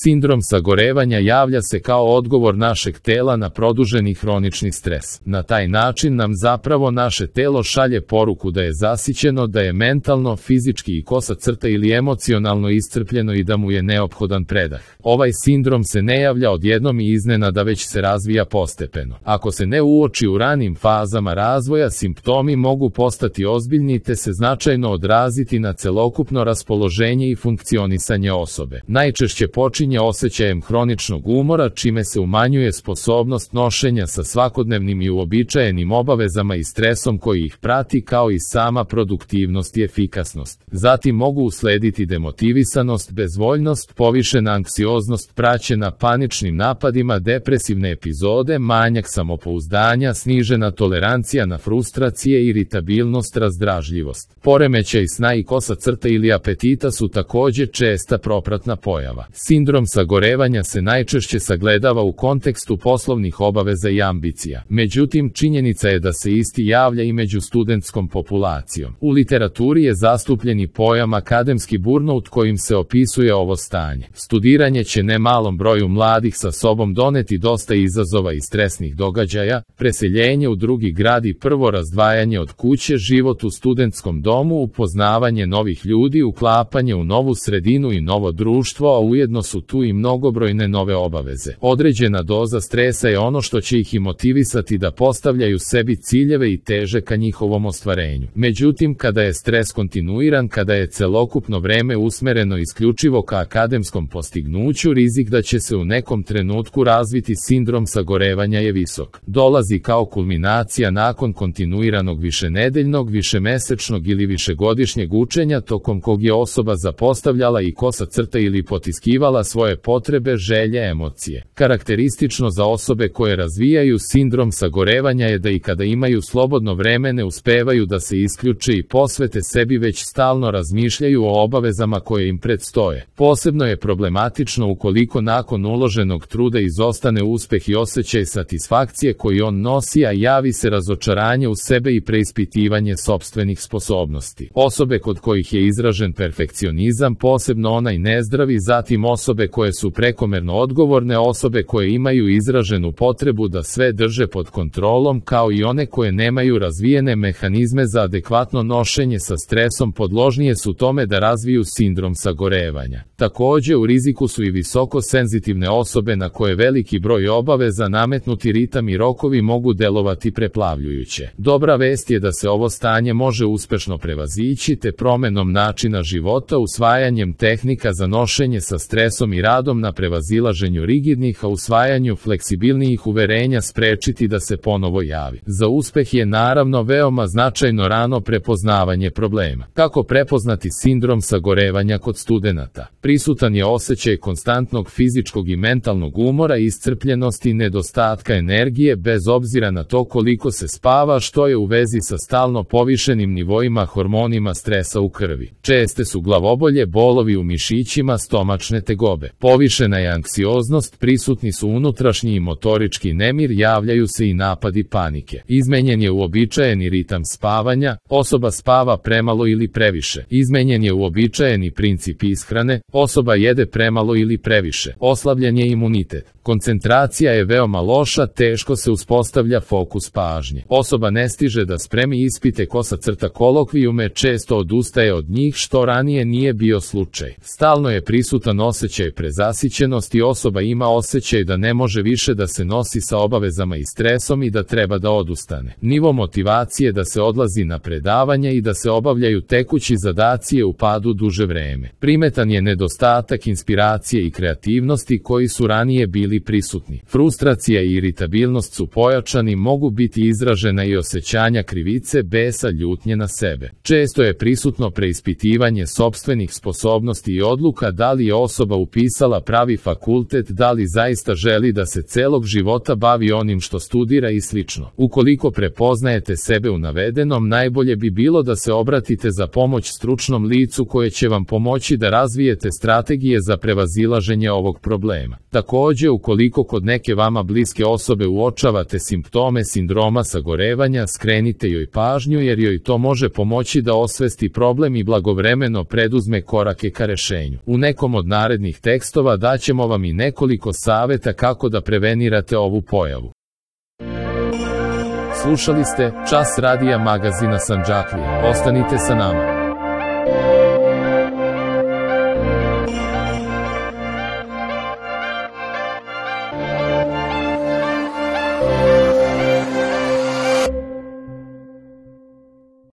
Sindrom sagorevanja javlja se kao odgovor našeg tela na produženi hronični stres. Na taj način nam zapravo naše telo šalje poruku da je zasićeno, da je mentalno, fizički i kosa crta ili emocionalno iscrpljeno i da mu je neophodan predah. Ovaj sindrom se ne javlja odjednom i iznenada, već se razvija postepeno. Ako se ne uoči u ranim fazama razvoja, simptomi mogu postati ozbiljni te se značajno odraziti na celokupno raspoloženje i funkcionisanje osobe. Najčešće počinje osjećajem hroničnog umora, čime se umanjuje sposobnost nošenja sa svakodnevnim i uobičajenim obavezama i stresom koji ih prati, kao i sama produktivnost i efikasnost. Zatim mogu uslediti demotivisanost, bezvoljnost, povišena anksioznost praćena paničnim napadima, depresivne epizode, manjak samopouzdanja, snižena tolerancija na frustracije, iritabilnost, razdražljivost. Poremećaj sna i kosa crta ili apetita su također česta propratna pojava. Sindrom sagorevanja se najčešće sagledava u kontekstu poslovnih obaveza i ambicija. Međutim, činjenica je da se isti javlja i među studentskom populacijom. U literaturi je zastupljeni pojam akademski burnout kojim se opisuje ovo stanje. Studiranje će ne malom broju mladih sa sobom doneti dosta izazova i stresnih događaja, preseljenje u drugi grad i prvo razdvajanje od kuće, život u studentskom domu, upoznavanje novih ljudi, uklapanje u novu sredinu i novo društvo, a ujedno su tu i mnogobrojne nove obaveze. Određena doza stresa je ono što će ih i motivisati da postavljaju sebi ciljeve i teže ka njihovom ostvarenju. Međutim, kada je stres kontinuiran, kada je celokupno vreme usmereno isključivo ka akademskom postignuću, rizik da će se u nekom trenutku razviti sindrom sagorevanja je visok. Dolazi kao kulminacija nakon kontinuiranog višenedeljnog, višemesečnog ili višegodišnjeg učenja tokom kog je osoba zapostavljala i kosa crta ili potiskivala svoje potrebe, želje, emocije. Karakteristično za osobe koje razvijaju sindrom sagorevanja je da i kada imaju slobodno vreme ne uspevaju da se isključe i posvete sebi, već stalno razmišljaju o obavezama koje im predstoje. Posebno je problematično ukoliko nakon uloženog truda izostane uspeh i osjećaj satisfakcije koji on nosi, a javi se razočaranje u sebe i preispitivanje sopstvenih sposobnosti. Osobe kod kojih je izražen perfekcionizam, posebno onaj nezdravi, zatim osobe koje su prekomerno odgovorne, osobe koje imaju izraženu potrebu da sve drže pod kontrolom, kao i one koje nemaju razvijene mehanizme za adekvatno nošenje sa stresom, podložnije su tome da razviju sindrom sagorevanja. Također u riziku su i visoko senzitivne osobe na koje veliki broj obaveza, nametnuti ritam i rokovi mogu delovati preplavljujuće. Dobra vest je da se ovo stanje može uspešno prevazići te promenom načina života, usvajanjem tehnika za nošenje sa stresom i radom na prevazilaženju rigidnih, a usvajanju fleksibilnijih uverenja sprečiti da se ponovo javi. Za uspeh je naravno veoma značajno rano prepoznavanje problema. Kako prepoznati sindrom sagorevanja kod studenata? Prisutan je osjećaj konstantnog fizičkog i mentalnog umora, iscrpljenosti i nedostatka energije bez obzira na to koliko se spava, što je u vezi sa stalno povišenim nivoima hormonima stresa u krvi. Česte su glavobolje, bolovi u mišićima, stomačne tegobe. Povišena je anksioznost, prisutni su unutrašnji i motorički nemir, javljaju se i napadi panike. Izmenjen je uobičajeni ritam spavanja, osoba spava premalo ili previše. Izmenjen je uobičajeni princip ishrane, osoba jede premalo ili previše. Oslabljen je imunitet. Koncentracija je veoma loša, teško se uspostavlja fokus pažnje. Osoba ne stiže da spremi ispite, kosa crta kolokvijume, često odustaje od njih, što ranije nije bio slučaj. Stalno je prisutan osjećaj prezasićenosti, osoba ima osjećaj da ne može više da se nosi sa obavezama i stresom i da treba da odustane. Nivo motivacije da se odlazi na predavanja i da se obavljaju tekući zadaci je u padu duže vreme. Primetan je nedostatak inspiracije i kreativnosti koji su ranije bili prisutni. Frustracija i iritabilnost su pojačani, mogu biti izražena i osjećanja krivice, besa, ljutnje na sebe. Često je prisutno preispitivanje sopstvenih sposobnosti i odluka, da li je osoba upisala pravi fakultet, da li zaista želi da se celog života bavi onim što studira i slično. Ukoliko prepoznajete sebe u navedenom, najbolje bi bilo da se obratite za pomoć stručnom licu koje će vam pomoći da razvijete strategije za prevazilaženje ovog problema. Također, Ukoliko kod neke vama bliske osobe uočavate simptome sindroma sagorevanja, skrenite joj pažnju jer joj to može pomoći da osvesti problem i blagovremeno preduzme korake ka rešenju. U nekom od narednih tekstova daćemo vam i nekoliko saveta kako da prevenirate ovu pojavu. Slušali ste Čas radija magazina Sandžaklija. Ostanite sa nama.